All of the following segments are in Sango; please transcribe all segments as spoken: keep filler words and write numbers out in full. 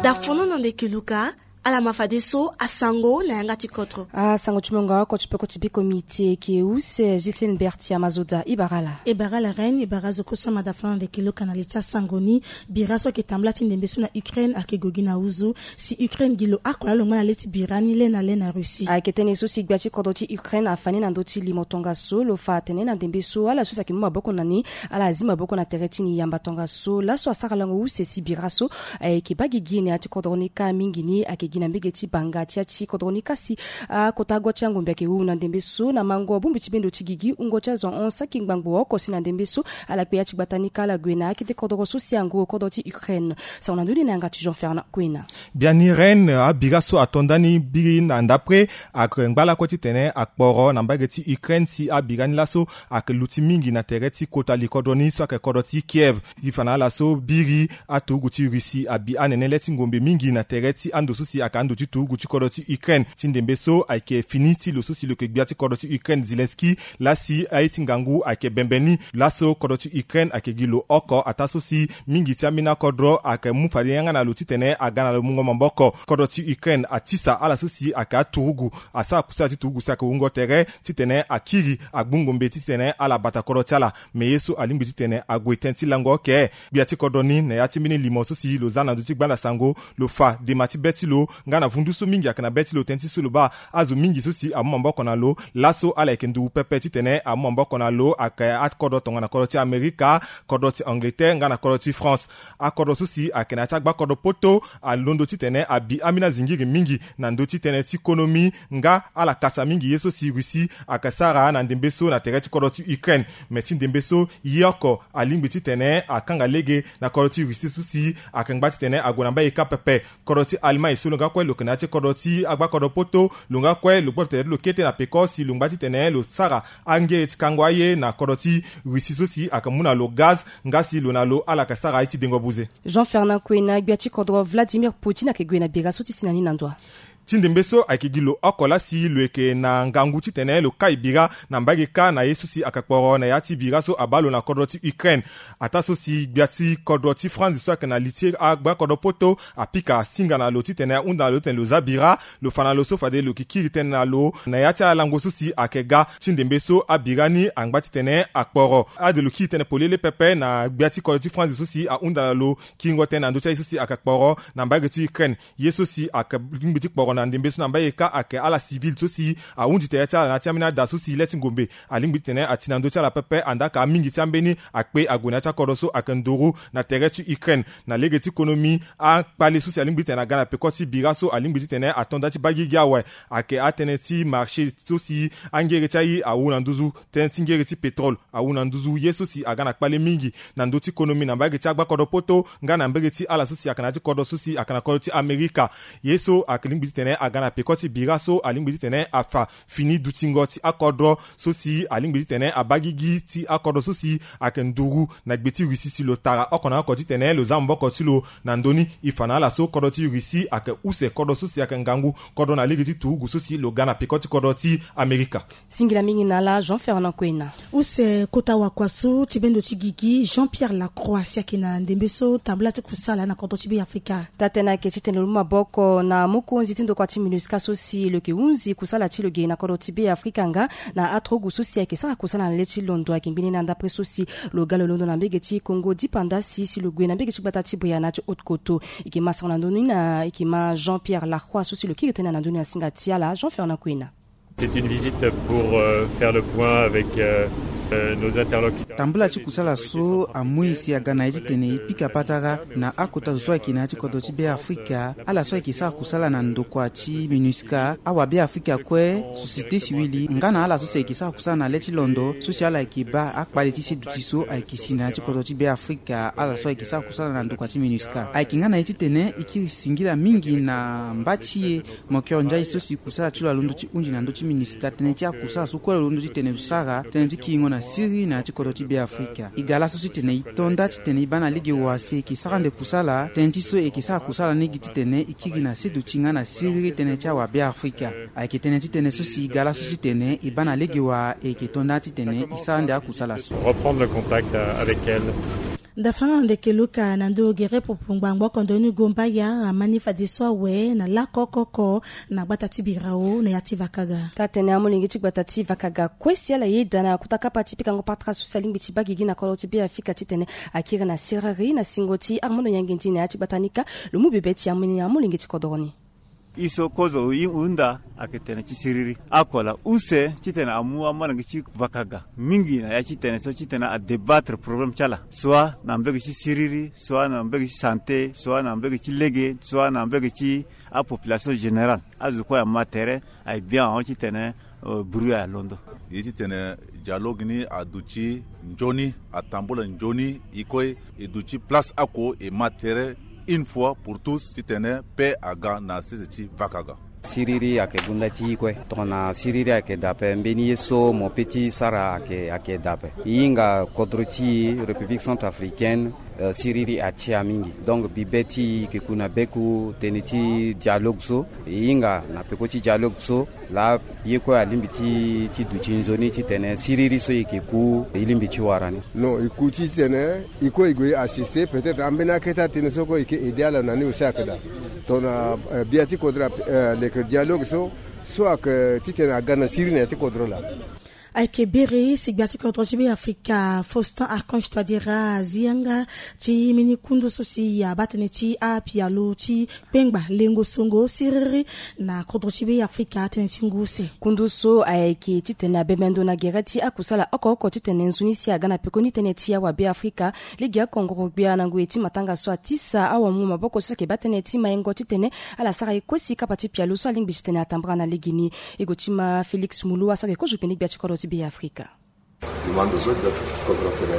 Dafono na ndeke luka. Ala ma fadeso asango na yanga ti kodro. Asango ti mongo oko ti peko ti biko miti eke use Justin Bertia Mazoda. Ibara ala. Ibara ala reine, ibara zo koso amada fana na ndeke luka na li ti asango ni. Bira so ayeke tambula ti ndembe so na Ukraine ayeke gue gi na huzu. Si Ukraine gi lo oko laa lo ngba na le ti bira ni le na le na Russie. Ayeke tënë so si gbia ti kodro ti Ukraine afa ni na ndö ti limo tongaso, lo fa atene na ndembe so ala so si ayeke mu maboko na ni, ala zi maboko na tere ti ni yamba tongaso. Laso asara lango use si bira so ayeke baa gigi na ya ti kodro ni kâ mingi ni ayeke gi na mbege ti banga ti ya ti kodro ni kâ si akota agua ti angombe ayeke wu na ndembe so na mango bongbi ti bendo ti gigi wungo ti azo ahon saki ngbangbo oko si na ndembe so ala kpe ya ti gbata ni kâ ala gue na akete kodro so si ango kodro ti Ukraine. Sango na ndö ni na yanga ti Jean Fernand Kwena. Biani reine, abira so ato nda ni biri na ndapre ayeke ngba lakue titene akporo na mbage ti Ukraine si abira ni laso ayeke luti mingi na tere ti kota li kodro ni so ayeke kodro ti Kiev. Ti fa na ala so biri aturugu ti Russie abi anene le ti ngombe mingi na tere ti ando so si ayeke ando ti turugu ti kodro ti Ukraine. Ti ndembe so ayeke fini ti lo so si lo yeke gbia ti kodro ti Ukraine Zelensky laa si aye ti ngangu ayeke bembe ni. Laso kodro ti Ukraine ayeke gi lo oko ataa so si mingi ti ambeni akodro ayeke mu fade yanga na lo titene aga na lo mungo maboko. Kodro ti Ukraine atisa ala so si ayeke aturugu, asara kusala ti turugu si ayeke wungo tere titene akiri agbu ngombe titene ala bata kodro ti ala. Me ye so alingbi titene ague tënë ti lango oke. Gbia ti kodro ni na ya ti mbeni limo so si lo za na ndö ti gbanda sango, lo fa dema ti be ti lo nga na vundu so mingi ayeke na be ti lo tënë ti so lo baa azo mingi so si amu maboko na lo. Laso ala yeke nduru pepe titene amu maboko na lo ayeke akodro tongana kodro ti Amerika, kodro ti Angleterre nga na kodro ti France. Akodro so si ayeke na ya ti agbakodro poto alondo titene abi ambeni azingiri mingi na ndö ti tënë ti konomi nga ala kasa mingi ye so si Russie ayeke sara na ndembe so na tere ti kodro ti Ukraine. Me ti ndembe so ye oko alingbi titene akanga lege na kodro ti Russie so si ayeke ngba titene ague na mbage kâ pepe. Kodro ti Allemagne so lo nga kue lo yeke na ya ti kodro ti agbakodro poto, lo nga kue lo gboto tere ti lo kete na peko si lo ngba titene lo sara angere ti kango aye na kodro ti Russie so si ayeke mu na lo gaz nga si lo na lo ala yeke sara aye ti dengo buze. Jean Fernand Kwena. Gbia ti kodro Vladimir Poutine ayeke gue na bira so ti si na ni na ndo. Ti ndembe so ayeke gi lo oko laa si lo yeke na ngangu titene lo kai bira na mbage kâ na ye so si ayeke kporo na ya ti bira so abaa lo na kodro ti Ukraine. Ataa so si gbia ti kodro ti France so ayeke na li ti agbakodro poto apika asinga na lo titene ahunda na lo titene lo za bira. Lo fa na lo so fade lo yeke kiri tënë na lo na ya ti alango so si ayeke ga. Ti ndembe so abira ni angba titene akporo. Ade lo kiri tënë polele pepe na gbia ti kodro ti France so si ahunda na lo kiringo tënë na ndö ti aye so si ayeke kporo na mbage ti Ukraine. Ye so si ayeke lingbi ti kporo na ndembe so na mbage kâ ayeke ala civil so si ahundi tere ti ala na ya ti ambeni ada so si le ti ngombe alingbi titene ati na ndö ti ala pepe. Andaa ka mingi ti ambeni akpe ague na ya ti akodro so ayeke nduru na tere ti Ukraine. Na lege ti konomi, akpale so si alingbi titene aga na peko ti bira so alingbi titene ato nda ti baa gigi awe ayeke atënë ti marché so si angere ti aye awu na nduzu, tënë ti ngere ti pétrole awu na nduzu. Ye so si aga na kpale mingi na ndö ti konomi na mbage ti agbakodro poto nga na mbage ti ala so si ayeke na ya ti kodro so si ayeke na kodro ti Amerika. Ye so ayeke lingbi titene aga na peko ti bira so alingbi titene afa fini dutingo ti akodro so si alingbi titene abaa gigi ti akodro so si ayeke nduru na gbe ti Russie si lo tara oko na oko titene lo za maboko ti lo na ndö ni. E fa na ala so kodro ti Russie ayeke use kodro so si ayeke ngangu kodro na lege ti turugu so si lo ga na peko ti kodro ti Amerika. Singila mingi na ala Jean Fernand Kwena. Use kota wakua so ti bendo ti gigi Jean Pierre Lacroix si ayeke na ndembe so tambula ti kusala na kodro ti Beafrika. Taa-tënë ayeke titene lo mu maboko na mokonzi ti ndokua ti MINUSCA so si lo yeke hunzi kusala ti lo ge na kodro ti Beafrika nga na aturugu so si ayeke sara kusala na le ti londo ayeke ngbene na ndapre so si lo ga lo londo na mbege ti Congo dipanda si si lo gue na mbege ti gbata ti Bria na ya ti Haute-Kotto. E yeke ma sango na ndö ni na e yeke ma Jean Pierre Lacroix so si lo kiri tënë na ndö ni na singa ti ala Jean Fernand Kwena. C'est une visite pour euh, faire le point avec euh, euh, nos interlocuteurs. Tambula ti kusala so amui si aga na ye titene e pika patara na akota zo so ayeke na ya ti kodro ti Beafrika, ala so ayeke sara kusala na ndokua ti MINUSCA, awabeafrika kue, société civile, nga na ala so si ayeke sara kusala na le ti londo so si ala yeke baa akpale ti seduti so ayeke si na ya ti kodro ti Beafrika, ala so ayeke sara kusala na ndokua ti MINUSCA. Ayeke nga na ye titene e kiri singila mingi na mba ti e Mokero Ndiaye so si kusala ti lo alondo ti hunzi na ndö ti MINUSCA tënë ti akusala so kue lo londo titene lo sara tënë ti kiringo na siriri na ya ti kodro ti Beafrika. E ga laso titene e to nda titene e baa na lege wa si e yeke sara ande kusala tënë ti so e yeke sara kusala ni gi titene e kiri na seduti nga na siriri tënë ti awabeafrika. Ayeke tënë titene so si e ga laso titene e baa na lege wa e yeke to nda titene e sara ande akusala so. Reprendre le contact euh, avec elle. Ndafana ndeke luka na ndo gere pupu ngbangbo oko ndo ni gomba ya amani fadeso awe na lako oko oko na gbata ti birao na ya ti vakaga. Taa tene amolenge ti gbata ti vakaga kue si ala yeda na kota kapa ti pikango patara so si alingbi ti baa gigi na kodro ti Beafrika titene akiri na siriri na singo ti amondo nyange ndi na ya ti gbata ni kâ. Lo mu bebe ti amolenge ti kodro ni. Iso kozo i hunda ayeke tene ti siriri. Oko ala use titene amu amolenge ti vakaga mingi na ya ti tene so titene adébattre problème ti ala, soit na mbege ti siriri, soit na mbege ti santé, soit na mbege ti lege, soit na mbege ti apopulation générale. Azo kue ama tere, aye bien ahon titene bruit alondo. Ye titene dialogue ni aduti nzoni, atambula nzoni. E kue e duti place oko e ma tere une fois pour tous titene paix aga na sese ti vakaga. Siriri ayeke gonda ti e kue. Tongana siriri ayeke daa ape, mbeni ye so mo pe ti sara ayeke, ayeke daa ape. E hinga kodro ti e, République centrafricaine, eh, siriri atia mingi. Donc bibe ti e yeke ku na beku tënë ti dialogue so. E hinga na peko ti dialogue so laa ye kue alingbi ti, ti duti nzoni titene siriri so e yeke ku e lingbi ti wara ni. Non, e ku titene e kue e gue e assister, peut-être ambeni akete atënë so kue e yeke aider ala na ni aussi ayeke daa. Tongana, eh, bia ti kodro, eh, leke dialogue so, so ayeke titene aga na siriri na ya ti kodro laa. Ayeke biri si gbia ti kodro ti Beafrika Faustin Archange Touadéra azi yanga ti mbeni kundu so si abaa tënë ti apialo ti kpengba lengo songo siriri na kodro ti Beafrika tënë ti ngu use. Kundu so ayeke titene abembe ndo na gere ti akusala oko oko titene nzoni si aga na pekoni tënë ti awa Beafrika. Lege oko ngoro-gbia na ngoi ti matanga so atisa awamu maboko so ayeke baa tënë ti maingo titene ala sara ye kue si kapa ti pialo so alingbi titene atambara na legeni. E gue ti ma Félix Mulu asara ye kozo pene gbia ti kodro ti Beafrika. Demande so gbia ti kodro atene,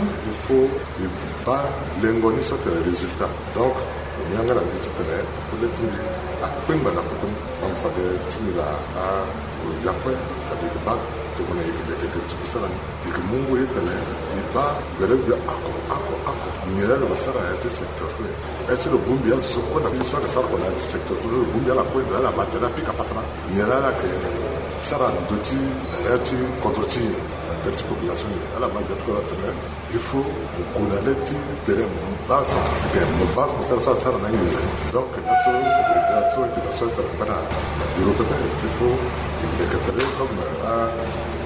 il faut e baa lengo ni so atene résultat. Donc lo mu yanga na mbi titene kode ti mbi akpengba na koko ni. Donc fade ti mbi na agbia kue fade e baa tongana e yeke leke gere ti kusala ni. E yeke mu ngu ye tene e baa gbelegbe oko oko oko. Nyen laa lo sara na ya ti secteur kue? Est-ce que lo bongbi azo so kue na so ayeke sara oko na ya ti secteur kue, lo bongbi ala kue, ala ma tene apika patara. Nyen laa ala yeke sara na ndö ti, na ya ti kodro ti e, na tere ti population ni. Ala ma gbia ti kodro atene, il faut mo gue na le ti tere, mo baa centrafricain, mo baa kosara so asara na nginza ni. Donc laso, laso, laso tara kpe na, na bureau pepe, il faut e leke tere comme, ah,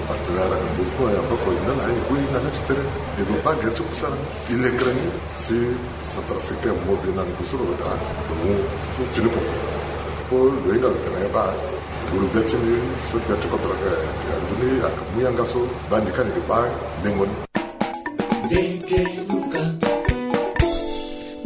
partenaire ayeke mbi ti mo ya kue, na ala aye gue na le ti tere. E gue baa gere ti kusala ni, e lekere ni si centrafricain mo bi na ngu so lo daa lo mu fini koko. Po lo hinga lo tene baa nguru gbia ti ni so gbia ti kodro ayeke, ya ndoni ayeke mu yanga so baa ni kani yeke baa ndengo ni.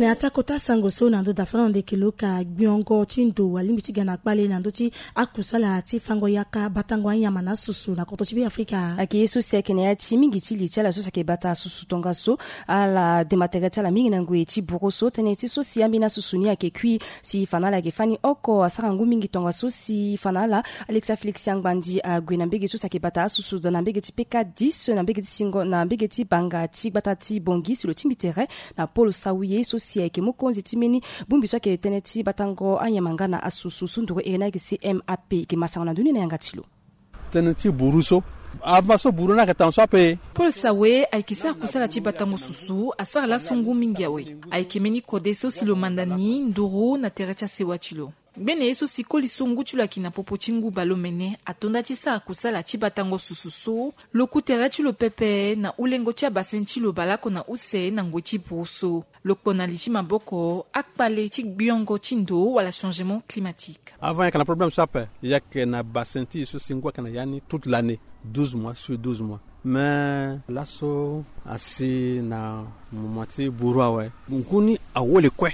Na ya ti akota sango so na ndö dafana ndeke lo ka gbiongo ti ndo alingbi ti ga na kpale na ndö ti akusala ti fango yaka batango anyama na asusu na kodro ti Beafrika. Ayeke ye so si ayeke na ya ti mingi ti li ti ala so si ayeke bata asusu tongaso. Ala dema tere ti ala mingi na ngoi ti buru so tënë ti so si ambeni asusu ni ayeke kui si fa na ala ayeke fani oko asara ngu mingi tongaso si fa na ala. Alexa Félix Angbandi ague na mbege so si ayeke bata asusu daa na mbege ti P K dix na mbege ti singo na mbege ti banga ti gbata ti Bangui si lo tingbi tere na Paul Sawiye so si ayeke mokonzi ti mbeni bongbi so ayeke tënë ti batango anyama nga na asusu sunduru ere ni ayeke C M A P. E yeke ma sango na ndö ni na yanga ti lo. Tënë ti buru so, avant so buru ni ayeke tango so ape. Paul Sawiye ayeke sara kusala ti batango susu asara laso ngu mingi awe. Ayeke mbeni kode so si lo manda ni nduru na tere ti asewa ti lo. Ngbene ye so si koli so ngu ti lo ayeke na popo ti ngu baleomene ato nda ti sara kusala ti batango susu so lo ku tere ti lo pepe na hulengo ti abasen ti lo baleoko na use na ngoi ti buru so. Lo kpo na li ti maboko akpale ti gbiongo ti ndo wala changement climatique. Avant e yeke na problème so ape, e yeke na basen ti e so si ngu ayeke na ya ni toute l'année, douze mois sur douze mois. Mais laso asi na moment ti buru awe. Ngu ni awele kue,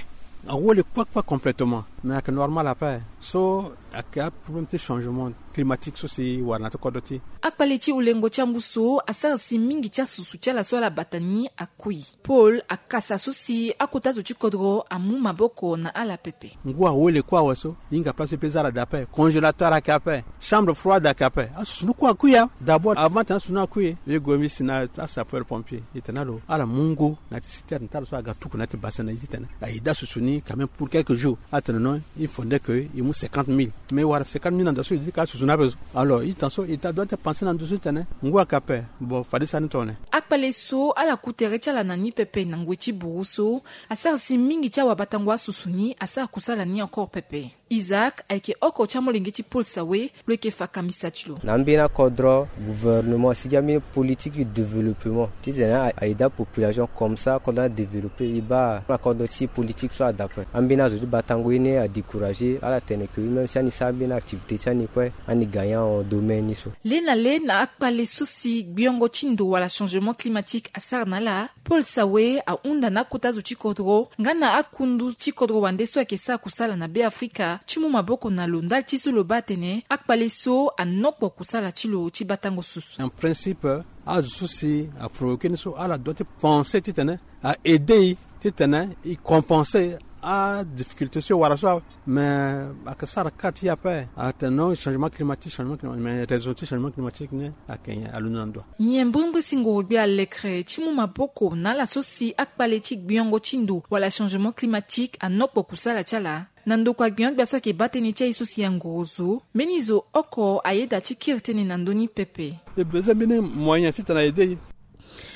awele kue kue complètement. Mais ayeke normal ape. So ayeke aproblème ti changement climatique so si wara na ya ti kodro ti e. Akpale ti hulengo ti angu so asara si mingi ti asusu ti ala so ala bata ni akui. Paul akasa so si akota zo ti kodro amu maboko na ala pepe. Ngu awele kue awe so, e hinga place so e pe za ala daa ape, congélateur ayeke ape, chambre froide ayeke ape, asusu ni kue akui ya. D'abord avant tena asusu ni akui, e gue mbi si na asapeur pompier, e tena lo ala mu ngu na ya ti citerne ti ala so aga tuku na ya ti basen na e titene aye daa asusu ni quand même pour quelques jours. Atene non. Il faudrait que il mou cinquante mille, mais wara cinquante mille na ndo so il dit ka susu na bezo. Alors il tan so il ta doit penser na ndo so tene ngu aka pe. Bon, fadi sani tone. Akpale so ala ku tere ti ala na ni pepe na ngoi ti buru so, asara si mingi ti awabatango asusu ni asara kusala ni encore pepe. Isaac ayeke oko ti amolenge ti Paul Sawe, lo yeke fa kambisa ti lo. Na ambeni akodro gouvernement asigi ambeni politique du développement titene a aida population comme ça akodro adéveloppe. E baa na kodro ti politique so adape ambeni azo ti batango ye ni adécourage ala tene ke même si ani sara ambeni activité ti ani kue ani gagnant en domaine ni so. Le na le na akpale so si gbiongo ti ndo wala changement climatique asara na ala, Paul Sawe ahunda na akota zo ti kodro nga na akundu ti kodro wande so ayeke sara kusala na Be Afrika ti mu maboko na lo ndali ti so lo baa atene akpale so anokpo kusala ti lo ti batango susu. En principe azo so si aprovoke ni so ala doit ti penser titene a aider e titene e compenser adifficulté so e wara so. Mais aka sara ka ti ape atene non changement climatique, changement climatique, mais raison ti changement climatique ni ake nyen? Alundu na ndo. Nyen mbirimbiri si ngoro-gbia alekere ti mu maboko na ala so si akpale ti gbiongo ti ndo wala changement climatique anokpo kusala ti ala? Na ndokua gbiongo-gbia so ayeke baa tënë ti aye so si angoro zo, mbeni zo oko ayeda ti kiri tënë na ndö ni pepe. E besoin mbeni moyen titene a aider e.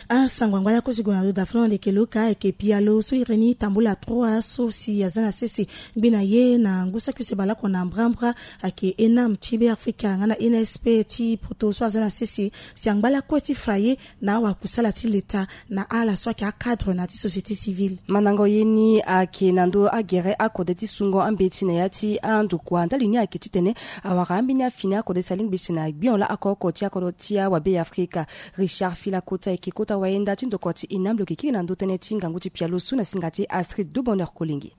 Asango angba lakue si gue na lo dafulon ndeke loka ayeke pialo so iri ni tambula trois so si aza na sese ngbi na ye na ngu saki use baleoko na mbrambra ayeke enam ti Be Afrika nga na nsp ti poto so aza na sese si angba lakue ti fa ye na awakusala ti leta na ala so ayeke acadre na ya ti société civile. Mandango ye ni ayeke na ndö agere akode ti sungo ambeti na ya ti andokua ndali ni ayeke titene awara ambeni afini akode si alingbi si na gbio laa oko oko ti akodro ti awabe ya Afrika. Richard Filakota ayeke kota wayenda ti ndokua ti enam lo yeke kiri na ndö tënë ti ngangu ti pialo so na singa ti Astrid Dubonheur Kolenge.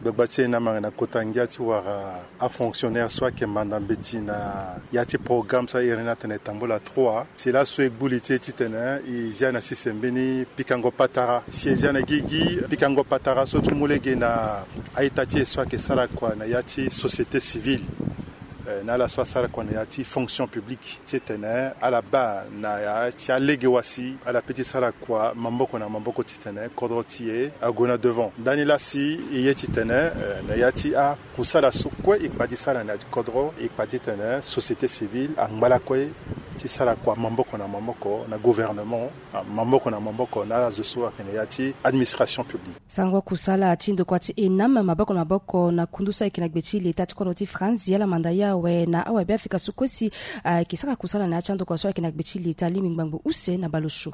Gbagba ti e na manga na kota ngia ti wara afonctionnaire so ayeke manda mbeti na ya ti programme so a iri ni atene tambula trois. Si laso e gbu li ti e titene e zia na sese mbeni pikango patara. Si e zia na gigi pikango patara so ti mu lege na a-ita ti e so ayeke sara kua na ya ti société civile, eh, na ala so asara kua na ya ti fonction publique titene ala baa na ya ti alege wasi ala pe ti sara kua maboko na maboko titene kodro ti e ague na devant. Ndani laa si e ye titene, eh, na ya ti akusala so kue e kpa ti sara na ya ti kodro e kpa titene société civile angba lakue ti sara kua maboko na maboko na gouvernement, ah, maboko na maboko na ala zo so ayeke na ya ti administration publique. Sango kusala ti ndokua ti enam maboko na maboko na kundu so ayeke na gbe ti leta ti kodro ti France ala manda ye awe na awabe Afrika so kue si ayeke sara kusala na ya ti andokua so ayeke na gbe ti leta alingbi ngbangbo use na baleosio.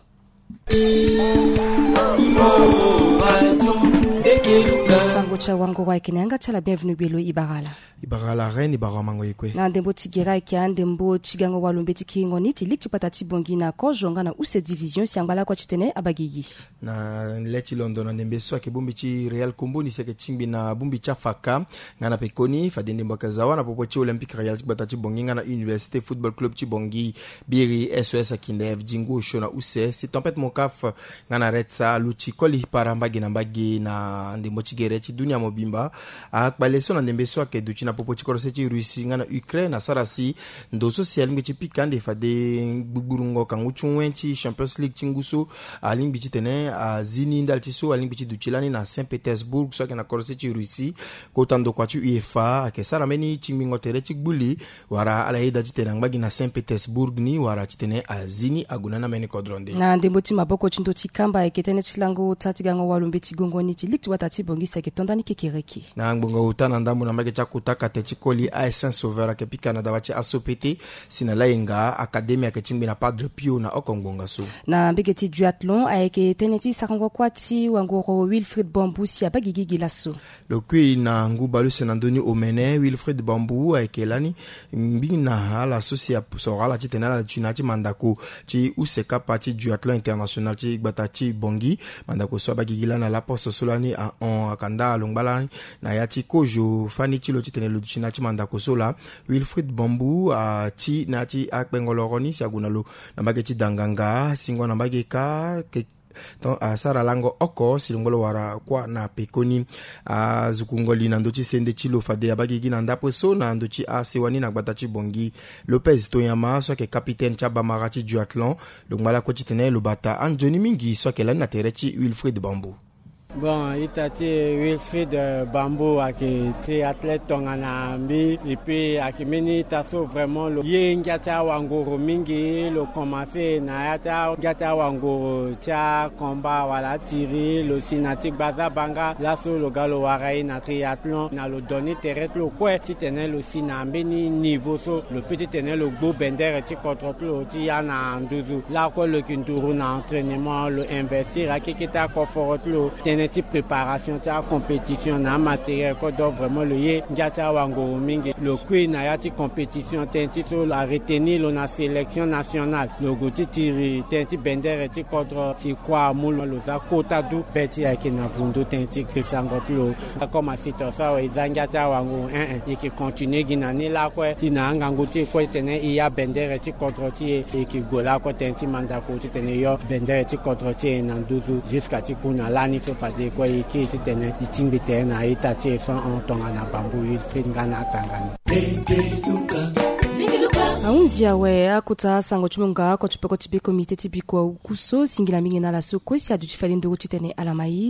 Sango ti awangoro ayeke na yanga ti ala bienvenu gbelo e bara ala. E bara ala reine, e bara amango ye kue. Na ndembo ti gere ayeke andembo ti gango walo mbeti kiringo ni ti ligue ti gbata ti Bangui na kozo nga na use division si angba lakue titene abagigi. Na le ti londo na ndembe so ayeke bongbi ti Real Kombo ni si ayeke tingbi na bongbi ti afaka nga na pekoni fade ndembo ayeke za wâ na popo ti Olympique Real ti gbata ti Bangui nga na Université Football Club ti Bangui. Biri S O S Kindev, Zingu osio na use si Tempête Mokaf nga na Red Star aluti koli para mbage na mbage na ndembo ti gere ti dunia mobimba. Akpale so na ndembe so ayeke duti na popo ti kodro se ti Russie nga na Ukraine asara si ndo so si alingbi ti pika ande fade gbugburungo kangu ti wen ti Champions League ti ngu so alingbi titene azi ni ndali ti so alingbi ti duti lani na Saint-Pétersbourg so ayeke na kodro se ti Russie. Kota ndokua ti UEFA ayeke sara mbeni tingbingo tere ti gbu li wala ala yeda titene angba gi na Saint-Pétersbourg ni wala titene azi ni ague na ni ambeni kodro nde. Na ndembo ti maboko ti ndo ti kamba ayeke tënë ti lango ota ti gango walo mbeti gongo ni ti ligue ti gbata ti Bangui si ayeke to ndani kekereke. Na ngbonga ota na ndambo na mbage ti akota kate ti koli A S Saint Sauveur ayeke pika na dawa ti A S O P T si na layenga académie ayeke tingbi na Padre Pio na oko ngbonga so. Na mbage ti duathlon ayeke tënë ti sarango kuâ ti wangoro Wilfried Bambou si abaa gigi gi laso. Lo kui na ngu baleuse na ndö ni omene, Wilfried Bambou ayeke lani ngbi na ala so si asoro ala titene ala duti na ya ti mandako ti use kapa ti duathlon international ti gbata ti Bangui. Mandako so abaa gigi lani na laposte so lani ahon akanda alongba lani na ya ti kozo fani ti lo titene lo duti na ya ti mandako so laa. Wilfried Bambou ati na ya ti akpengo loro ni si ague na lo na mbage ti danganga singo na mbage kâ. Ton asara lango oko si lo ngba lo wara kuâ na pekoni. Azukungo li na ndö ti sende ti lo fade abaa gigi na ndapue so na ndö ti asewa ni na gbata ti Bangui. Lopez Toyama so ayeke kapitene ti abamara ti duathlon lo ngba lakue titene lo bata anzoni mingi so ayeke lani na tere ti Wilfried Bambou. Bon, ita ti Wilfried Bambou ayeke triathlète tongana mbi. Et puis ayeke mbeni ita so vraiment lo ye ngia ti awanguru mingi. Lo commence na ya ti angia ti awanguru ti akomba wala atiri. Lo si na ti gbaza banga laso lo ga lo wara e na triathlon na lo donner tere ti lo kue titene lo si na mbeni niveau so lo peut titene lo gbu bendere ti kodro ti lo ti ya na nduzu. Lakue lo yeke nduru na entraînement, lo investir akeke ti akoforo ti lo tënë ti préparation ti acompétition na amatériel kodro. Vraiment lo ye ngia ti awanguru mingi. Lo kui na ya ti compétition tënë ti so lo aretenir lo na sélection nationale. Lo gue ti tiri tënë ti bendere ti kodro si kua amu lo, lo za kota du be ti ayeke na vundu tënë ti grisango ti lo. Akoma si to so awe e za ngia ti awanguru, eh eh, e yeke continuer gi na ni lakue ti na angangu ti e kue titene e ya bendere ti kodro ti e. E yeke gue lakue tënë ti mandako titene e yo bendere ti kodro ti e na nduzu jusqu'à ti ku na lani so fade e kue e kiri titene e tingbi tere na ita ti e so ahon tongana Bambou Wilfried nga na atanga ni. Ahunzi awe akota sango ti munga oko ti peko ti be comité ti biko awuku so singila mingi na ala so kue si aduti fade nduru titene ala ma e.